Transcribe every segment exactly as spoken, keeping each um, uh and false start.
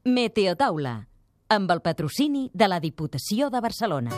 Meteotaula, amb el patrocini de la Diputació de Barcelona.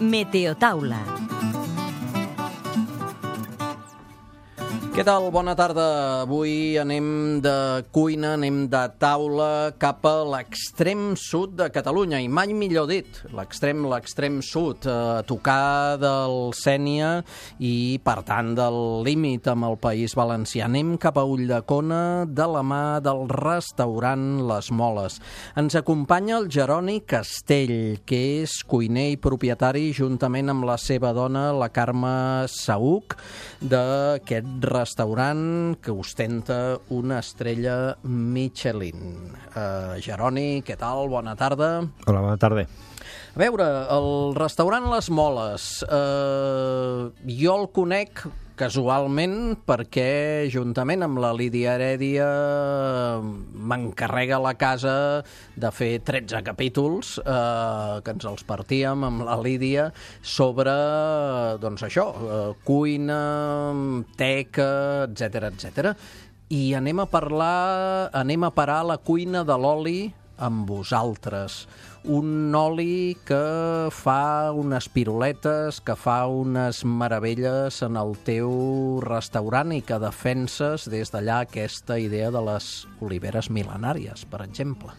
Meteotaula. Què tal? Bona tarda. Avui anem de cuina, anem de taula cap a l'extrem sud de Catalunya, i mai millor dit, l'extrem, l'extrem sud, a tocar del Sénia i, per tant, del límit amb el País Valencià. Anem cap a Ulldecona de la mà del restaurant Les Moles. Ens acompanya el Jeroni Castell, que és cuiner i propietari, juntament amb la seva dona, la Carme Saüc, d'aquest restaurant restaurant que ostenta una estrella Michelin. Uh, Jeroni, què tal? Bona tarda. Hola, bona tarda. A veure, el restaurant Les Moles, uh, jo el conec casualment perquè, juntament amb la Lídia Heredia, m'encarrega la casa de fer tretze capítols, eh, que ens els partíem amb la Lídia, sobre, doncs això, eh, cuina, teca, etcètera, etcètera. I anem a parlar, anem a parar a la cuina de l'oli amb vosaltres. Un oli que fa unes piruletes, que fa unes meravelles en el teu restaurant i que defenses des d'allà aquesta idea de les oliveres mil·lenàries, per exemple.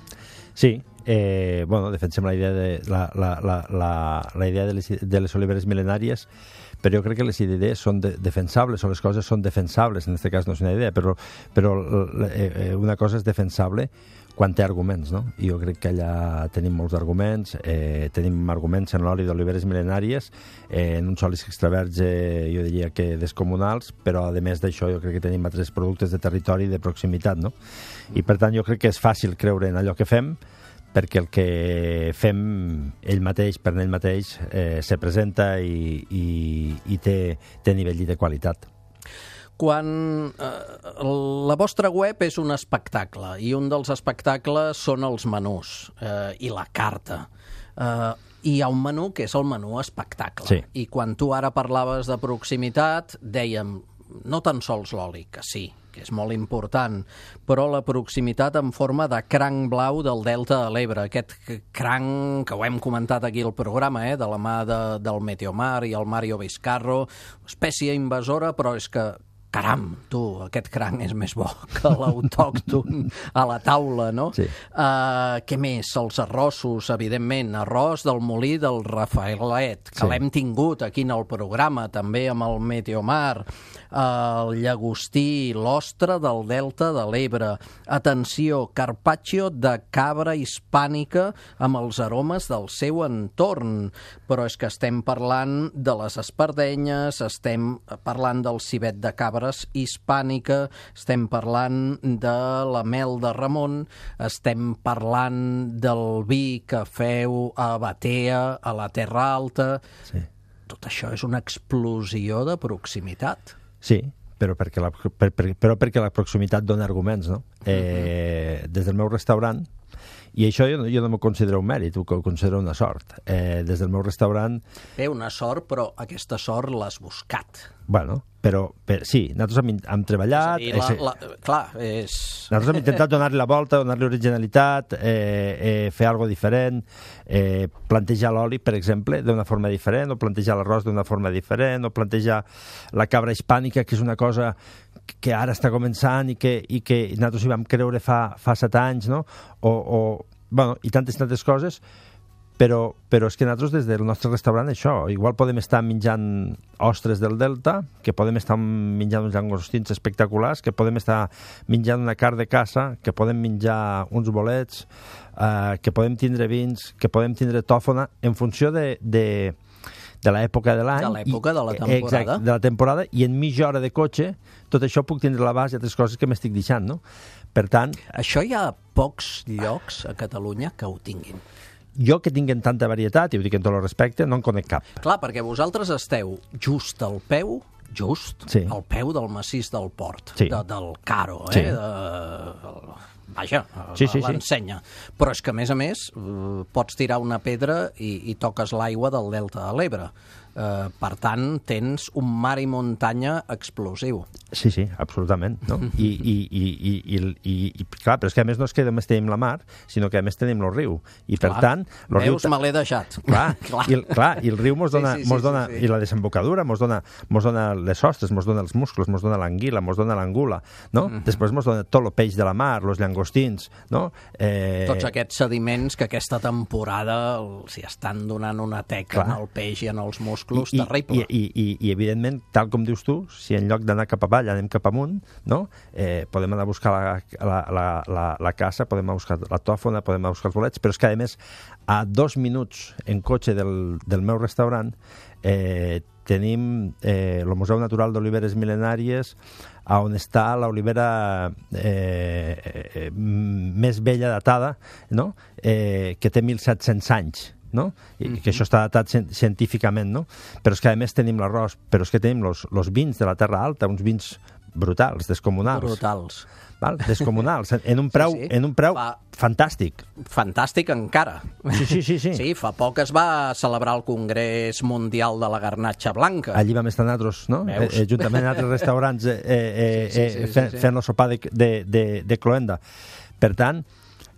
Sí, eh, bueno, defensem la idea de, la, la, la, la, la idea de, les, de les oliveres mil·lenàries, però jo crec que les idees són de, defensables, o les coses són defensables, en aquest cas no és una idea, però, però eh, una cosa és defensable quan té arguments, no? I jo crec que allà tenim molts arguments, eh, tenim arguments en l'oli d'oliveres mil·lenàries, eh, en uns olis extraverge, jo diria que descomunals, però a més d'això jo crec que tenim altres productes de territori i de proximitat, no? I per tant jo crec que és fàcil creure en allò que fem, perquè el que fem ell mateix, per ell mateix, eh, se presenta i, i, i té, té nivell de qualitat. Quan eh, la vostra web és un espectacle, i un dels espectacles són els menús eh, i la carta. Eh, hi ha un menú que és el menú espectacle. Sí. I quan tu ara parlaves de proximitat, dèiem, no tan sols l'oli, que sí, que és molt important, però la proximitat en forma de cranc blau del Delta de l'Ebre. Aquest cranc que ho hem comentat aquí al programa, eh, de la mà de, del Meteomar i el Mario Vizcarro, espècie invasora, però és que caram, tu, aquest cranc és més bo que l'autòcton a la taula, no? Sí. Uh, què més? Els arrossos, evidentment. Arròs del molí del Rafaelet, que sí, l'hem tingut aquí en el programa, també amb el Meteomar. Uh, el llagostí, l'ostra del Delta de l'Ebre. Atenció, carpaccio de cabra hispànica amb els aromes del seu entorn. Però és que estem parlant de les espardenyes, estem parlant del civet de cabra hispànica, estem parlant de la mel de Ramon, estem parlant del vi que feu a Batea, a la Terra Alta. Sí. Tot això és una explosió de proximitat. Sí, però perquè la, per, per, però perquè la proximitat dona arguments, no? Eh, uh-huh. Des del meu restaurant, i això jo, jo no m'ho considero un mèrit, ho considero una sort. Eh, des del meu restaurant... Bé, una sort, però aquesta sort l'has buscat. Bueno, però, per, sí, nosaltres hem, hem treballat... És a dir, la, la, clar, és... Nosaltres hem intentat donar-li la volta, donar-li originalitat, eh, eh, fer alguna cosa diferent, eh, plantejar l'oli, per exemple, d'una forma diferent, o plantejar l'arròs d'una forma diferent, o plantejar la cabra hispànica, que és una cosa que ara està començant i que, i que nosaltres hi vam creure fa, fa set anys, no? O, o, bueno, i tantes tantes coses, però, però és que nosaltres des del nostre restaurant això, igual podem estar menjant ostres del Delta, que podem estar menjant uns llagostins espectaculars, que podem estar menjant una carn de caça, que podem menjar uns bolets, eh, que podem tindre vins, que podem tindre tòfona, en funció de... de de l'època de l'any. De l'època de la temporada. Exacte, de la temporada, i en mitja hora de cotxe, tot això puc tindre a l'abast i altres coses que m'estic deixant, no? Per tant... Això hi ha pocs llocs a Catalunya que ho tinguin. Jo que tinguen tanta varietat, i ho dic en tot el respecte, no en conec cap. Clar, perquè vosaltres esteu just al peu, just, sí, al peu del massís del Port, sí, de, del Caro, eh? Sí. De... Vaja, sí, sí, l'ensenya. Sí. Però és que, a més a més, pots tirar una pedra i, i toques l'aigua del Delta de l'Ebre. Eh, per tant, tens un mar i muntanya explosiu. Sí, sí, absolutament, no? I, i, i, i, i, i, i clar, però és que a més no és que només tenim la mar, sinó que a més tenim el riu. I per Clar. tant... Lo Veus, riu... me l'he deixat. Clar, clar. I, el, clar, i el riu mos dona, sí, sí, mos sí, dona sí, sí. i la desembocadura mos dona, mos dona les hostes, mos dona els musclos, mos dona l'anguila, mos dona l'angula, no? Uh-huh. Després mos dona tot el peix de la mar, els llangostins, no? Eh... Tots aquests sediments que aquesta temporada els hi estan donant una teca en el peix i en els musclos I, terrible. I, i, i, i, evidentment, tal com dius tu, si en lloc d'anar cap avall anem cap amunt, no? eh, podem anar a buscar la, la, la, la, la caça, podem anar a buscar la tòfona, podem anar a buscar els bolets, però és que, a més, a dos minuts en cotxe del, del meu restaurant eh, tenim eh, el Museu Natural d'Oliveres Mil·lenàries, on està l'olivera eh, eh, més vella datada, no? eh, que té mil set-cents anys, no? I mm-hmm. que això està datat científicament, no? Però és que a més tenim l'arròs, però és que tenim els vins de la Terra Alta, uns vins brutals, descomunals. Brutals. Val? Descomunals, en un preu, sí, sí. En un preu fa... fantàstic. Fantàstic encara. Sí, sí, sí, sí. Sí, fa poc es va celebrar el Congrés Mundial de la Garnatxa Blanca. Allí vam estar nosaltres, no? Eh, eh, juntament amb altres restaurants eh, eh, sí, sí, sí, eh, sí, fent, sí. fent el sopar de, de, de, de cloenda. Per tant,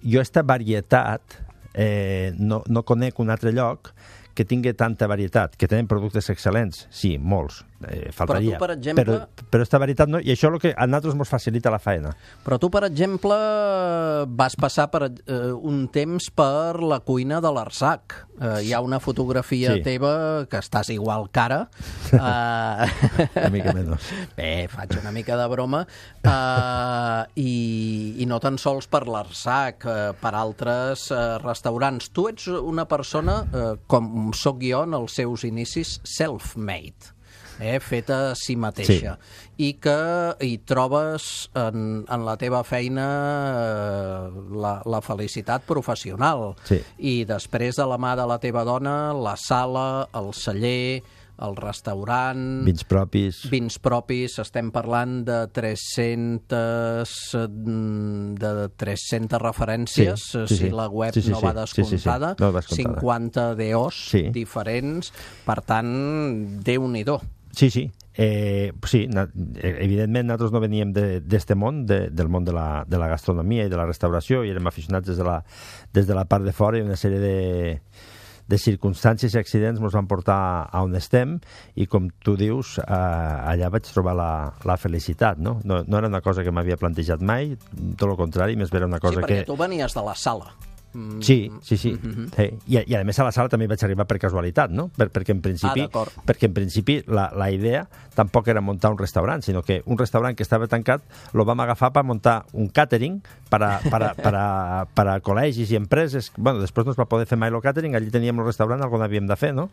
jo aquesta varietat eh, no, no conec un altre lloc que tingui tanta varietat, que tenen productes excel·lents, sí, molts, eh, faltaria. Però tu, per exemple... Però, però esta varietat no, i això és el que a nosaltres ens facilita la feina. Però tu, per exemple, vas passar per, eh, un temps per la cuina de l'Arsac. Eh, hi ha una fotografia sí. teva que estàs igual cara. Eh... una mica menys. Bé, faig una mica de broma. Eh, i, I no tan sols per l'Arsac, eh, per altres eh, restaurants. Tu ets una persona, eh, com sóc jo en els seus inicis, self-made. Eh, feta a si mateixa, sí. I que hi trobes en, en la teva feina eh, la, la felicitat professional, sí. I després de la mà de la teva dona, la sala, el celler, el restaurant... Vins propis. Vins propis, estem parlant de tres-centes, de tres-centes referències, sí, sí, si sí. la web sí, sí, no va descomptada, sí, sí, sí. No va descomptada. cinquanta deos sí. diferents, per tant, Déu-n'hi-do. Sí, sí. Eh, sí, na, evidentment nosaltres no veníem d'aquest de, món, de, del món de la, de la gastronomia i de la restauració, i érem aficionats des de la, des de la part de fora, i una sèrie de, de circumstàncies i accidents ens van portar a on estem, i com tu dius, eh, allà vaig trobar la, la felicitat, no? no? No era una cosa que m'havia plantejat mai, tot el contrari, més era una cosa sí, perquè que... tu venies de la sala. Sí, sí, sí. Mm-hmm. sí. I, I a més a la sala també vaig arribar per casualitat, no? Per, perquè en principi, ah, perquè en principi la, la idea tampoc era muntar un restaurant, sinó que un restaurant que estava tancat lo vam agafar per muntar un catering per a, per a, per a, per a col·legis i empreses. Bueno, després no es va poder fer mai el catering, allí teníem el restaurant, algun havíem de fer, no?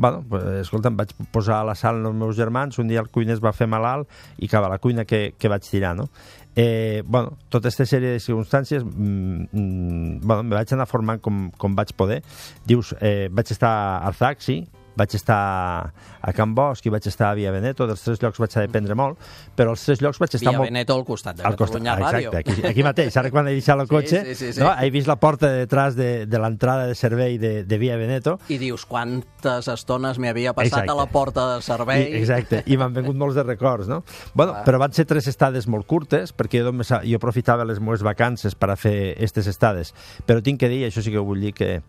Bueno, pues, escolta, em vaig posar a la sala amb els meus germans, un dia el cuiner es va fer malalt i acaba la cuina que, que vaig tirar, no? Eh, bueno, tota aquesta sèrie de circumstàncies mm, mm, bueno, me vaig anar formant com, com vaig poder. Dius, eh, vaig estar a Arsac, sí, vaig estar a Can Bosch i vaig estar a Via Veneto. Dels tres llocs vaig d'aprendre molt, però els tres llocs vaig estar Via molt... Via Veneto al costat de al Catalunya costat, Ràdio. Exacte, aquí, aquí mateix, ara quan he deixat el cotxe, sí, sí, sí, sí. No, he vist la porta de detrás de, de l'entrada de servei de, de Via Veneto. I dius, quantes estones m'hi havia passat exacte. A la porta de servei. I, exacte, i m'han vengut molts de records, no? Bueno, ah. Però van ser tres estades molt curtes, perquè jo, només, jo aprofitava les meves vacances per a fer aquestes estades. Però tinc que dir, això sí que ho vull dir, que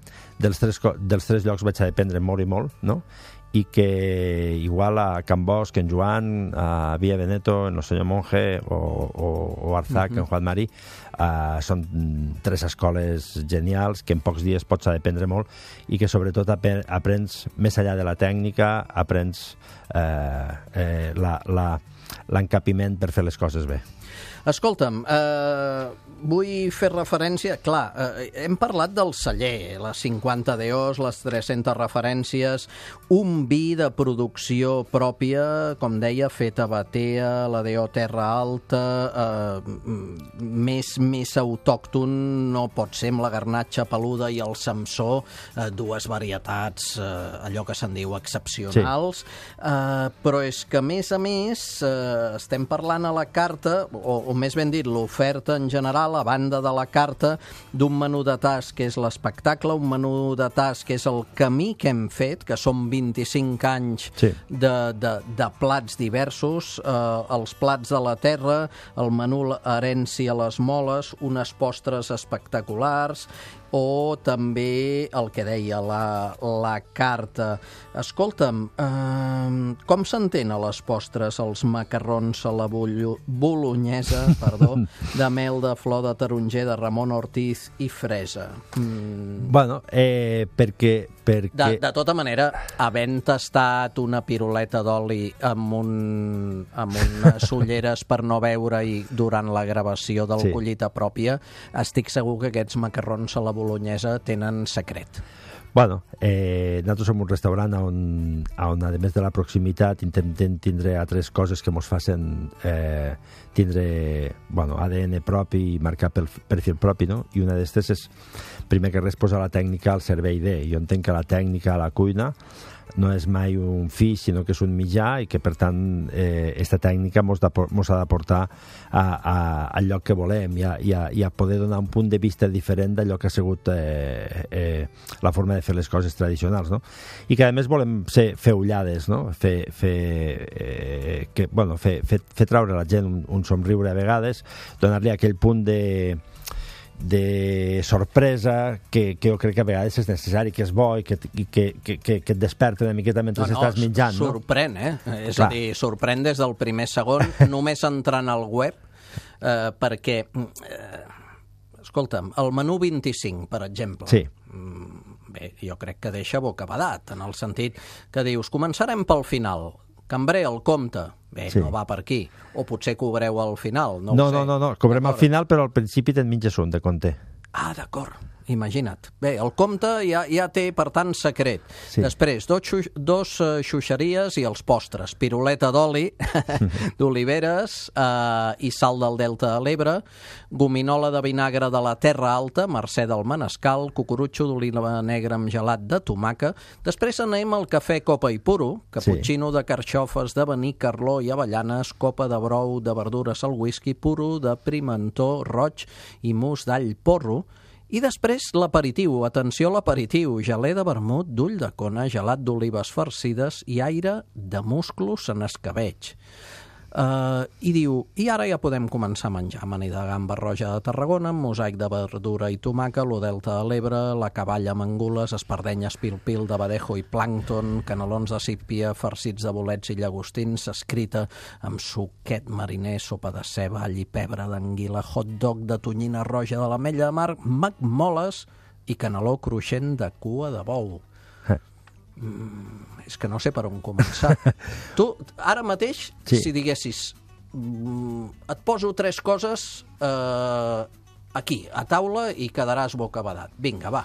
dels tres, dels tres llocs vaig aprendre molt i molt, no? I que igual a Can Bosch, en Joan, a Via Veneto, en el senyor Monge o, o, o Arsac, uh-huh. en Juan Marí, uh, són tres escoles genials que en pocs dies pots aprendre molt i que sobretot aprens més enllà de la tècnica, aprens eh, eh, la, la, l'encapiment per fer les coses bé. Escolta'm, eh, vull fer referència... Clar, eh, hem parlat del celler, les cinquanta deos, les tres-centes referències, un vi de producció pròpia, com deia, feta a Batea, la Deo Terra Alta, eh, més, més autòcton no pot ser amb la garnatxa peluda i el samsó, eh, dues varietats, eh, allò que se'n diu excepcionals, sí. eh, però és que, a més a més, eh, estem parlant a la carta, o, o més ben dit, l'oferta en general, a banda de la carta, d'un menú de tas que és l'espectacle, un menú de tas que és el camí que hem fet, que són vint-i-cinc anys sí. de, de, de plats diversos, eh, els plats de la terra, el menú herència a les moles, unes postres espectaculars, o també el que deia la, la carta. Escolta'm, eh, com s'entén a les postres els macarrons a la bollo, bolognesa perdó, de mel de flor de taronger de Ramon Ortiz i fresa? Mm. Bueno, eh, perquè... perquè... De, de tota manera, havent tastat una piruleta d'oli amb, un, amb unes ulleres per no veure i durant la gravació del sí. collita pròpia, estic segur que aquests macarrons a la bolognesa tenen secret. Bueno, eh, nosaltres som un restaurant on, on, a més de la proximitat, intentem tindre altres coses que ens facin eh, tindre bueno, A D N propi i marcar pel perfil propi, no? I una d'estes és, primer que res, posar la tècnica al servei de. Jo entenc que la tècnica a la cuina no és mai un fi, sinó que és un mitjà i que, per tant, eh, esta tècnica mos, mos ha d'aportar a, a, al lloc que volem i a, i, a, i a poder donar un punt de vista diferent d'allò que ha sigut eh, eh, la forma de fer les coses tradicionals, no? I que, a més, volem ser, fer ullades, no? Fer, fer, eh, que, bueno, fer, fer, fer traure a la gent un, un somriure a vegades, donar-li aquell punt de de sorpresa que, que jo crec que a vegades és necessari, que és bo i que, i que, que, que, que et desperta una miqueta mentre no, no, estàs menjant. Sorprèn, no? eh? És Clar. a dir, sorprèn des del primer segon, només entrant al web, eh, perquè, eh, escolta'm, el menú vint-i-cinc, per exemple, sí. bé, jo crec que deixa bocabadat, en el sentit que dius, començarem pel final, cambrer, el compte, bé, sí. no va per aquí. O potser cobreu al final, no, no ho sé. No, no, no, cobrem al final, però al principi te'n menges un de compte. Ah, d'acord, imagina't. Bé, el compte ja, ja té, per tant, secret. Sí. Després, dos, xu dos uh, xuxeries i els postres. Piruleta d'oli, d'oliveres uh, i sal del Delta de l'Ebre, gominola de vinagre de la Terra Alta, Mercè del Manescal, cucurutxo d'oliva negra amb gelat de tomaca. Després anem al cafè copa i puro, caputxino sí. de carxofes, de vení, carló i avellanes, copa de brou, de verdures al whisky, puro de pimentó roig i mus d'all porro. I després l'aperitiu, atenció a l'aperitiu, gelé de vermut, d'ull de cona, gelat d'olives farcides i aire de musclos en escabeig. Uh, I diu, i ara ja podem començar a menjar amanida de gamba roja de Tarragona, mosaic de verdura i tomaca, lo Delta de l'Ebre, la cavalla amb angules, espardenyes pil-pil de badejo i plàncton, canelons de sípia, farcits de bolets i llagostins, escrita amb suquet mariner, sopa de ceba, all i pebre d'anguila, hot dog de tonyina roja de l'Ametlla de Mar, magmoles i caneló cruixent de cua de bou. Mm, és que no sé per on començar. Tu, ara mateix, sí. si diguessis, mm, et poso tres coses eh, aquí, a taula, i quedaràs bocabadat. Vinga, va.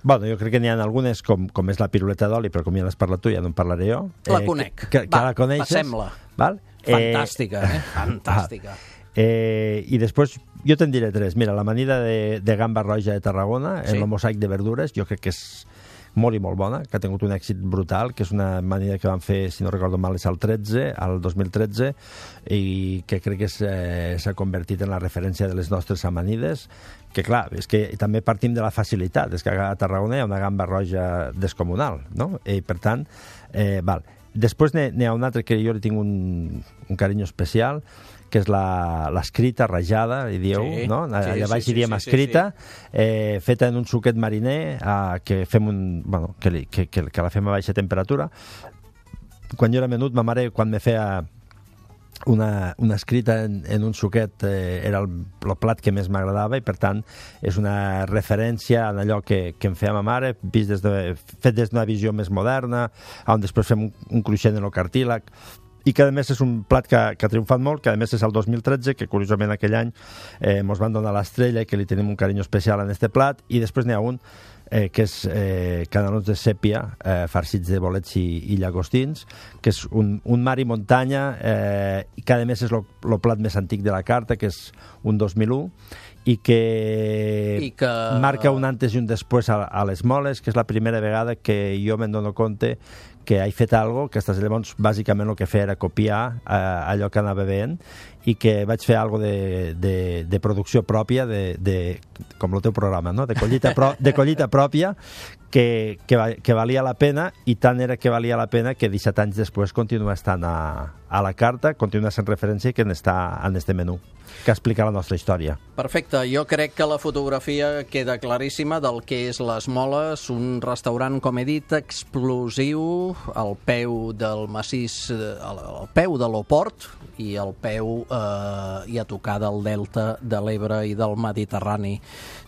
Bueno, jo crec que n'hi ha algunes, com, com és la piruleta d'oli, però com ja l'has parlat tu, ja no en parlaré jo. La eh, conec. Que, que, que va, la coneixes. passem-la. Val? Fantàstica, eh? eh? Fantàstica. Eh, I després jo te'n diré tres. Mira, l'amanida de, de gamba roja de Tarragona, sí. en el mosaic de verdures, jo crec que és molt i molt bona, que ha tingut un èxit brutal, que és una amanida que van fer, si no recordo mal, és al tretze, al dos mil tretze, i que crec que s'ha eh, convertit en la referència de les nostres amanides, que clar, és que també partim de la facilitat, és que a Tarragona hi ha una gamba roja descomunal, no? I per tant, eh, val. Després n'hi ha un altre que jo li tinc un, un carinyo especial, que és l'escrita rajada, hi dieu, sí, no? Allà sí, baix sí, hi diem sí, escrita, sí, sí. Eh, feta en un suquet mariner, eh, que fem un, bueno, que, li, que, que, que la fem a baixa temperatura. Quan jo era menut, ma mare, quan me feia una, una escrita en, en un suquet, eh, era el, el plat que més m'agradava, i per tant és una referència a allò que, que em feia ma mare, vist des de, fet des d'una visió més moderna, on després fem un, un cruixent en el cartílag, i que a més és un plat que, que ha triomfat molt, que a més és el dos mil tretze, que curiosament aquell any eh, ens van donar l'estrella i que li tenim un carinyo especial en este plat, i després n'hi ha un eh, que és eh, canelons de sèpia, eh, farcits de bolets i, i llagostins, que és un, un mar i muntanya, eh, i que a més és el plat més antic de la carta, que és un dos mil u, i que, I que marca un antes i un després a, a les moles, que és la primera vegada que jo me'n dono compte que he fet algo, que llavors bàsicament el que feia era copiar eh, allò que anava veient, i que vaig fer algo de, de, de producció pròpia, de, de, com el teu programa, no? de, collita pro, de collita pròpia, que, que, que valia la pena, i tant era que valia la pena que disset anys després continua estant a, a la carta, continua sent referència i que està en este menú, que explica la nostra història. Perfecte, jo crec que la fotografia queda claríssima del que és Les Moles, un restaurant, com he dit, explosiu, al peu del massís, al peu de l'Oport i al peu eh, i a tocar del delta de l'Ebre i del Mediterrani.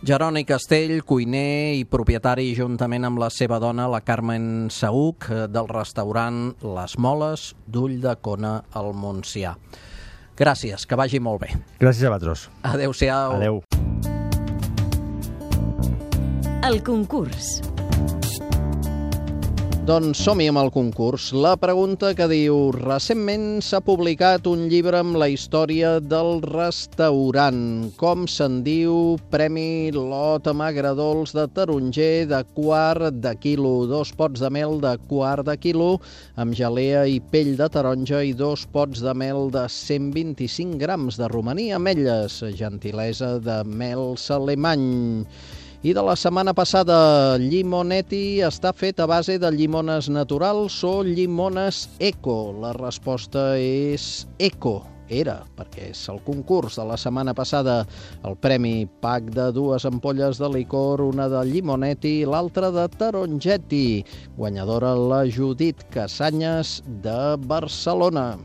Jeroni Castell, cuiner i propietari, juntament amb la seva dona, la Carmen Saüc, del restaurant Les Moles d'Ulldecona al Montsià. Gràcies, que vagi molt bé. Gràcies a vosaltres. Adéu-siau. Adéu. El concurs. Doncs som-hi amb el concurs. La pregunta que diu: recentment s'ha publicat un llibre amb la història del restaurant. Com se'n diu? Premi lot amb agradols de taronger de quart de quilo, dos pots de mel de quart de quilo amb gelea i pell de taronja i dos pots de mel de cent vint-i-cinc grams de romaní, ametlles, gentilesa de mels alemany. I de la setmana passada, Llimonetti està fet a base de llimones naturals o llimones eco? La resposta és eco. Era, perquè és el concurs de la setmana passada. El premi, pack de dues ampolles de licor, una de Llimonetti i l'altra de Tarongetti. Guanyadora la Judit Casanyes de Barcelona.